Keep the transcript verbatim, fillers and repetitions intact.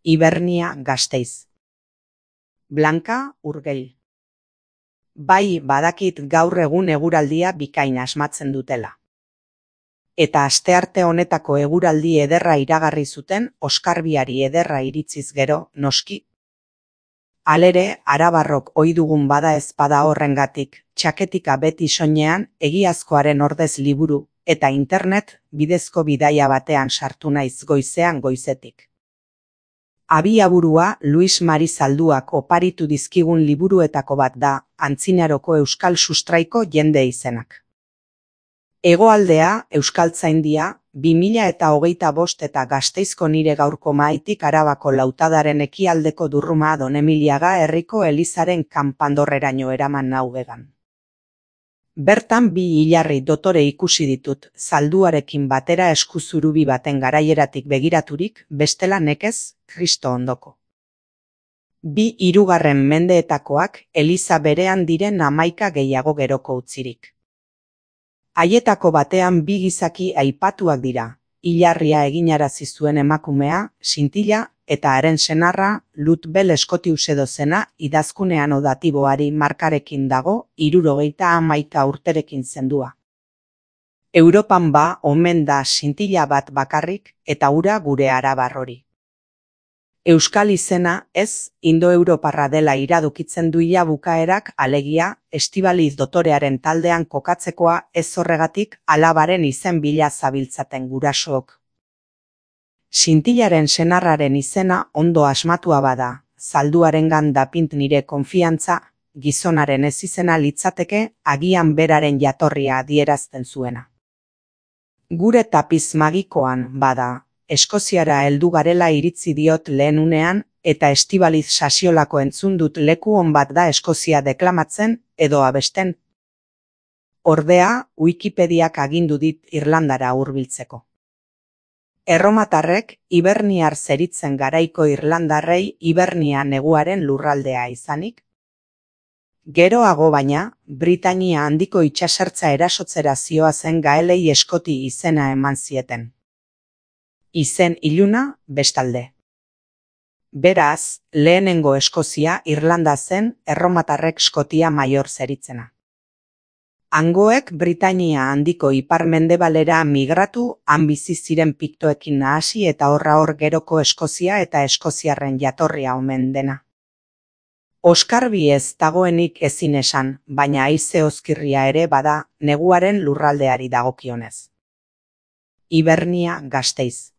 Hibernia Gasteiz. Blanka Urgell. Bai, badakit gaur egun eguraldia bikain asmatzen dutela. Eta astearte honetako eguraldi ederra iragarri zuten oskarbiari ederra iritziz gero, noski. Halere, arabarrok ohi dugun bada ezpada horrengatik, txaketika beti soinean egiazkoaren ordez liburu eta internet bidezko bidaia batean sartu naiz goizean goizetik. Abiaburua Luis Mari Zalduak oparitu dizkigun liburuetako bat da, antzinaroko euskal sustraiko jende izenak. Hegoaldea, Euskaltzaindia, bi mila eta hogeita bost eta Gasteizko nire gaurko mahaitik Arabako Lautadaren ekialdeko Durruma Donemiliaga herriko elizaren kanpandorreraino eraman nau began. Bertan bi hilarri dotore ikusi ditut, Zalduarekin batera eskuzurubi baten garaieratik begiraturik, bestela nekez, Kristo ondoko. Bi hirugarren mendeetakoak eliza berean diren hamaika gehiago geroko utzirik. Haietako batean bi gizaki aipatuak dira, hilarria eginarazi zuen emakumea, Sintila, eta haren senarra, Lutbel Scotius edo zena, idazkunean odatiboari markarekin dago, hirurogeita hamaika urterekin zendua. Europan ba, omen da Sintila bat bakarrik, eta ura gure arabar hori. Euskal izena, ez, indoeuroparra dela iradokitzen du ia bukaerak, alegia, Estibaliz dotorearen taldean kokatzekoa ez horregatik alabaren izen bila zabiltzaten gurasook. Sintilaren senarraren izena ondo asmatua bada, Zalduarengan dapint nire konfiantza, gizonaren ez izena litzateke agian beraren jatorria adierazten zuena. Gure tapiz magikoan bada, Eskoziara heldu garela iritzi diot lehen unean, eta Estibaliz Sasiolako entzun dut leku on bat da Eskozia deklamatzen edo abesten. Ordea, Wikipediak agindu dit Irlandara hurbiltzeko. Erromatarrek Hiberniar zeritzen garaiko irlandarrei Hibernia neguaren lurraldea izanik. Geroago baina, Britainia handiko itsasertza erasotzera zihoazen gaelei Eskoti izena eman zieten. Izen iluna, bestalde. Beraz, lehenengo Eskozia Irlanda zen erromatarrek Skotia Maior zeritzena. Hangoek Britainia handiko ipar-mendebalera migratu, han bizi ziren piktoekin nahasi eta horra hor geroko Eskozia eta eskoziarren jatorria omen dena. Oskarbi ez dagoenik ezin esan, baina haize ozkirria ere bada neguaren lurraldeari dagokionez. Hibernia Gasteiz.